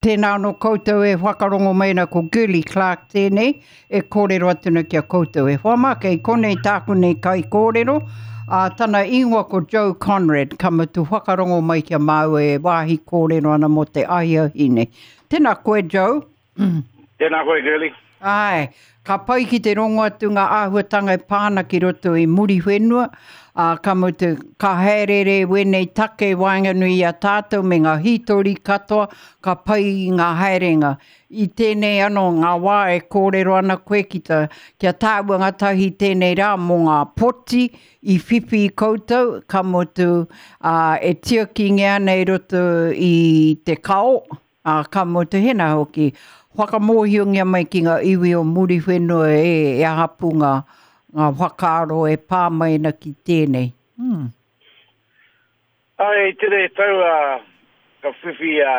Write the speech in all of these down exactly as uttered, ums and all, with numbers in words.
Tēnā anō koutou e whakarongo mai ana ko Girlie Clark tēnei e kōrero atu ana ki a koutou e hoa mā, kei konei tāku nei kaikōrero, ā, tana ingoa ko Joe Conrad, ka mutu whakarongo mai ki a māua e wāhi kōrero ana mō te ahiahi nei. Tēnā koe Joe. Tēnā koe Girlie. Āe, ka pai ki te rongo atu ngā āhuatanga e pā ana ki roto i Muriwhenua, ā, ka mutu, ka haereere wēnei take waenganui i a tātou me ngā hītori katoa, ka pai ngā haerenga. I tēnei anō ngā wā e kōrero ana koe ki ta, ki a tāua ngātahi tēnei rā mō ngā poti i whiwhi i koutou, ka mutu, ā, e tiakingia ana i roto i te kao, Ā, ka mutu hena hoki, whakamōhiongia mai ki ngā iwi o Muriwhenua e, e aha pū ngā, ngā whakaaro e pā mai ana ki tēnei. Mm. Āe, i tēnei tau a, ka whiwhi a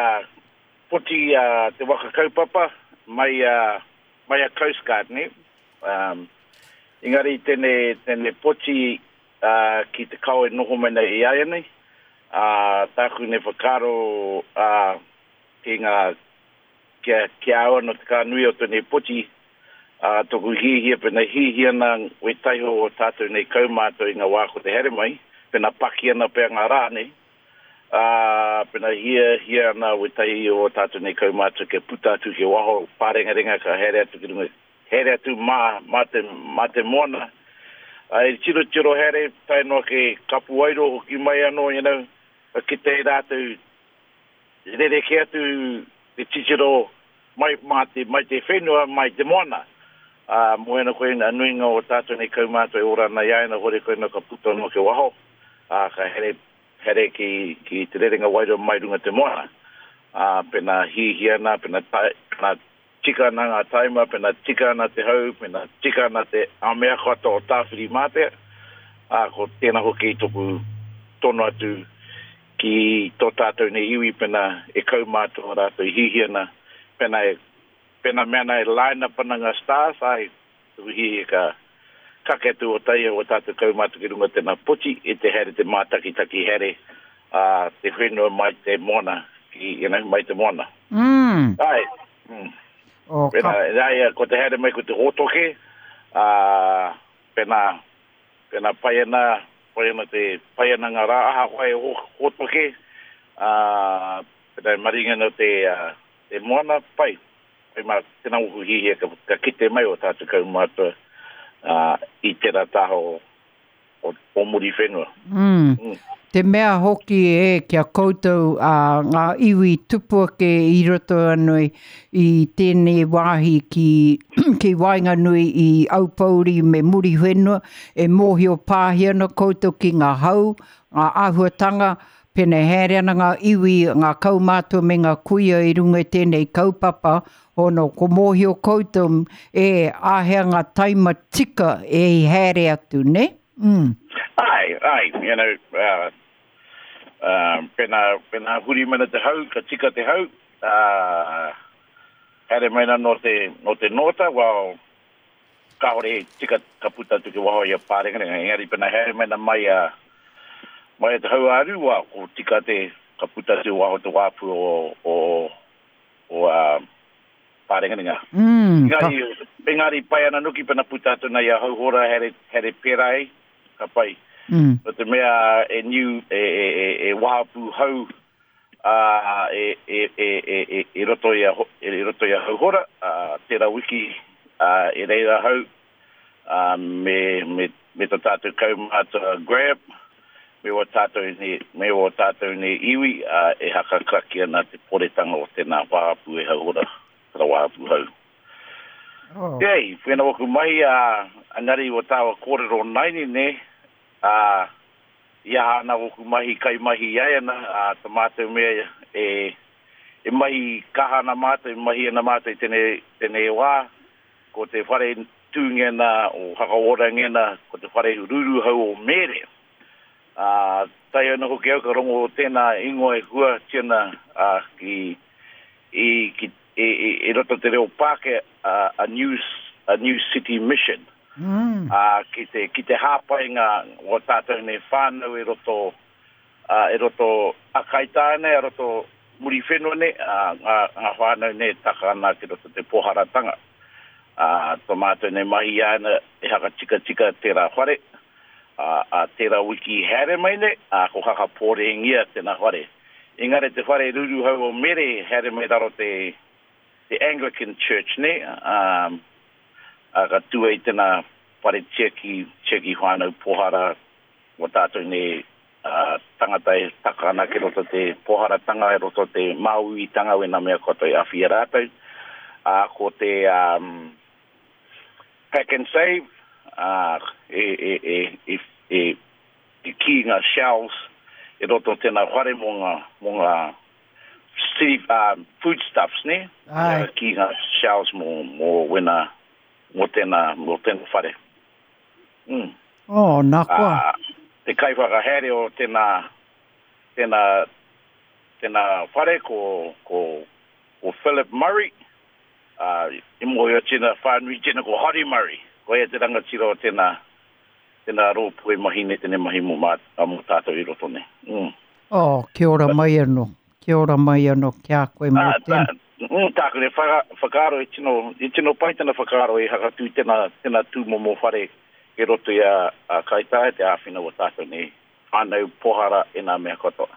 poti a te waka kaupapa mai a, mai a Coast Guard, ne? Um, engari tēnei, tēnei poti uh, ki te kao e noho mai nei i āianei, ā, tāku nei whakaaro ā, ki ngā, ki a, ki a au anō te kā nui o tēnei poti, ā, tōku hiahia, pēnā hiahia ana wētahi o tātou nei kaumātua i ngā wā ko te haere mai, pēnā paki ana pea ngā rā nei, ā, pēnā hiahia ana wētahi o tātou nei kaumātua kia puta atu ki waho pārengarenga ka haere atu ki runga, haere atu mā, mā te, mā te moana, ā, e tirotiro haere tae noa ki Kapuairo hoki mai anō, you know, ka kite i rātou rerekē atu te titiro mai mā te, mai te whenua, mai te moana. Ā, mō ēnā koe nā nuinga o tātou nei kaumātua e ora ana i a ia, hore koe nā ka puta anō ki waho, ā, ka here, here ki, ki te rerenga wairua mai runga te moana. Ā, pēnā hihia ana, pēnā, tae, pēnā tika ana ngā taima, pēnā tika ana te hau, pēnā tika ana te a mea katoa o Tāwhirimātea, ā, ko tēnā hoki toku tono atu ki tō tātou nei iwi pēnā e kaumātua rātou e hiahia ana, pēnā e, pēnā mea ana e line up ana ngā stars, āe, tuku hiahia ka kake atu o taia o tātou kaumātua ki runga tēnā poti e te haere te mātakitaki haere ā, te whenua mai te moana, ki, you know, mai te moana. Mm. Āe. Mm. Oh, Pēnā, ka... āe, ko te haere mai ko te hōtoke, ā, pēnā, pēnā pai ana, pai ana te, pai ana ngā rā, ahakoa e hōtoke, ā, pēnā e maringa ana te, uh, te moana, pai. Pai mā, tēnā oku hihia ka, ka kite mai o tātou kaumātua uh, i tērā taha o, o, o Muriwhenua. Mm. Mm. Te mea hoki e ki a koutou a ngā iwi tupu ake i roto anō i tēnei wāhi ki, ki waenganui i Aupouri me Muriwhenua, e mōhio pāhi ana koutou ki ngā hau, ngā āhuatanga, pēnei haere ana ngā iwi, ngā kaumātua me ngā kuia i runga i tēnei kaupapa, hono ko mōhio koutou e āhea ngā taima tika e i haere atu, ne? Mm. Ai, ai, you know, uh, uh, pēnā, pēnā huri mana te hau, ka tika te hau, uh, haere mai na no te, no te nōta, well, kāore e tika ka puta atu ki waho i a Pārengarenga, engari pēnā haere mai na mai a, mai a te hau āru, well, ko tika te, ka puta atu waho te wāpu o, o, o uh, Pārengarenga. Mm, ka, Engari, engari pai ana nuki pēnā puta atu nei a Hauhora here, here pērā e, ka pai. mm. No te mea e niu, e, e, e, e wāpu hau uh, e, e, e, e, e, e roto i a, e roto i a Hauhora, uh, tērā wiki uh, e reira hau, uh, me, me, me tō tātou kaumātua Grab, me o tātou nei, me o tātou nei iwi, uh, e hakakraki ana te poretanga o tēnā wāpu e Hauhora, tērā wāpu hau. Oh. Ei, whena waku mai a engari o tāua kōrero naini ne, a i aha ana waku mahi kai mahi ai ana, a ta mātou mea e, e mahi kaha ana mātou, e mahi ana mātou i tēnei, tēnei wā, ko te whare tūngena o Hakaorangena, ko te whare ruruhau o Mere. A, tae ana hoki au ka rongo o tēnā ingoa e hua tiana a, ki, i, ki, e, e, e roto te reo Pākehā, a, a, new, a New City Mission. Mm. A, ki te, ki te hāpai ngā o tātou nei whānau e roto, a, e roto a Kaitāne, e roto Muriwhenua nei, ā, ngā, ngā whānau nei taka ana ki roto te pōharatanga. Ā, tō mātou nei mahi ana e hakatikatika tērā whare, ā, ā tērā wiki haere mai nei, ā, ko hakapōrengia tēnā whare. Engari te whare ruruhau o Mere haere mai raro te, te Anglican Church nei, ā, ā, ka tū ai tēnā whare tiaki, tiaki whānau pōhara, mō tātou nei uh, tangata e taka ana ki roto te pōharatanga, e roto te māuitanga, wena mea katoa e awhi i a rātou. Uh, ko te um, pack and save, uh, e, e, e, e, e, e ki ngā shelves e roto tēnā whare mō ngā, mō ngā city, um, foodstuffs, ne? Ai. Ki ngā shelves mō, mō wena, mō tēnā, mō tēnā whare. Mm. Oh, nā koa. Uh, te kaiwhakahaere o tēnā, tēnā, tēnā whare ko, ko, ko Philip Murray. Uh, i mōhio tēnā whānui tēnā ko Hori Murray. Ko ia te rangatira o tēnā, tēnā rōpū e mahi nei, tēnei mahi mō, mā, mō tātou i roto nei. Mm. Oh, kia ora mai anō. Kia ora mai anō ki a koe mō Ah, tēnā. tā, mm, tāku ne whaka, whakaaro e tino, i tino pai tēnā whakaaro e hakatū tēnā, tēnā tūmomo whare e roto i a, a Kaitaia te āwhina o tātou nei. Whānau pohara e nā mea katoa.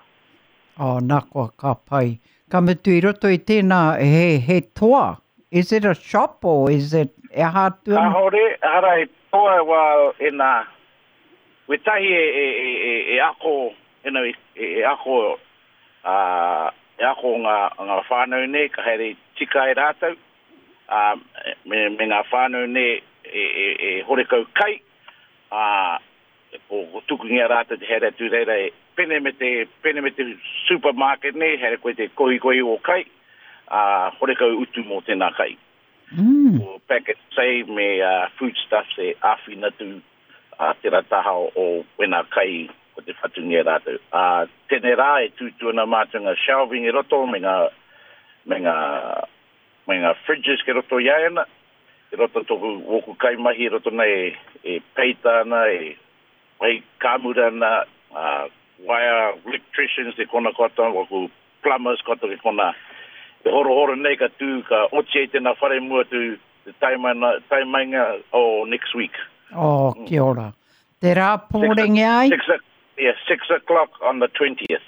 Oh, nā koa, ka pai. Ka mutu i roto i tēnā, he, he toa. Is it a shop or is it e aha atu ana? Kāhore, hara e toa wā e nā, wetahi e, e, e, e, e ako, e, nā, e, e ako, uh, e ako ngā, ngā whānau nei, ka haere tika e rātou, uh, me, me ngā whānau nei e, e, e horekau kai, uh, ko, ko tukungia rātou te haere atu reira e pene me te, pene me te supermarket nei, haere koe te kohi kohi o kai, uh, horekau utu mō tēnā kai. Mm. Ko pack and save me uh, foodstuffs e āwhina tu uh, tērā taha o, o wena kai ko te whatungia rātou. Uh, tēnei rā e tūtū ana mātou ngā shelving e roto me ngā, me ngā, me ngā fridges ke roto i ana. E roto toku woku kai mahi e roto nei e, e peita ana, e wai kāmura ana, uh, wire electricians e kona katoa, waku plumbers katoa ke kona. E horo horo nei ka tū, ka oti ai tēnā whare mua tu te taimaina, taimainga o next week. Oh, kia ora. Te rā pōrenge ai? Six, o- yeah, six o'clock on the twentieth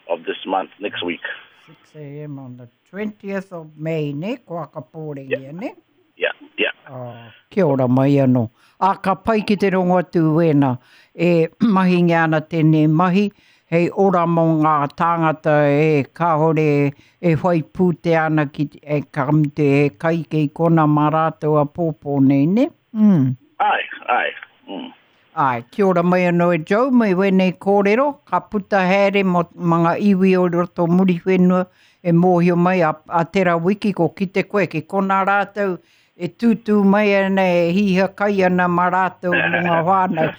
of this month, next week. six a m on the twentieth of May, ne? Ko aka pōrenge, Yeah. ne? Yeah, yeah. Oh, kia ora mai anō. A ka pai ki te rongo atu wēnā. E mahingia ana tēnei mahi, hei ora mō ngā tāngata e kāhore e whai pūte ana ki e ka mute e kai kei kona mā rātou a pōpō nei, ne? Mm. Ai, ai. Mm. Ai, kia ora mai anō e Joe, mai wēnei kōrero, ka puta haere mō mga iwi o roto Muriwhenua e mōhio mai a, a tērā wiki ko kite koe, ki kona rātou e tūtū mai ana e hiha kai ana mā rātou mō ngā whānau.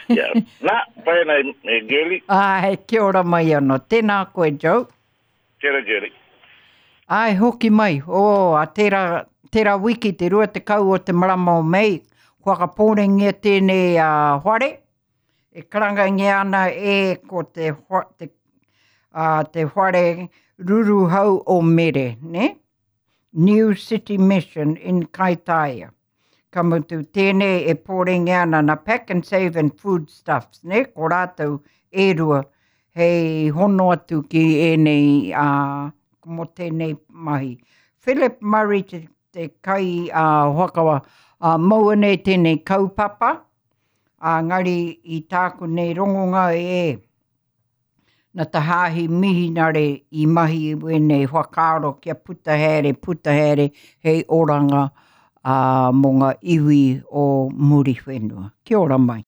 Yeah. Nā, pai ana e, e girly. Ai, kia ora mai anō. Tēnā koe, Joe. Kia ora, girly. Ai, hoki mai. Oh, a tērā, tērā wiki, te rua tekau o te marama o Mei, kua ka pōrengia tēnei uh, whare. E karangangia ana e ko te, te, uh, te whare ruruhau o Mere, ne? New City Mission in Kaitaia. Ka mutu tēnei e pōrengia ana na pack and save and foodstuffs, ne? Ko rātou e rua hei hono atu ki ēnei uh, mō tēnei mahi. Philip Murray te, te kai uh, whakawa uh, maua nei tēnei kaupapa, uh, ngari i tāku nei rongonga e na te hāhi mihinare i mahi wēnei whakaaro kia puta haere, puta haere hei oranga uh, mō ngā iwi o Muriwhenua. Kia ora mai.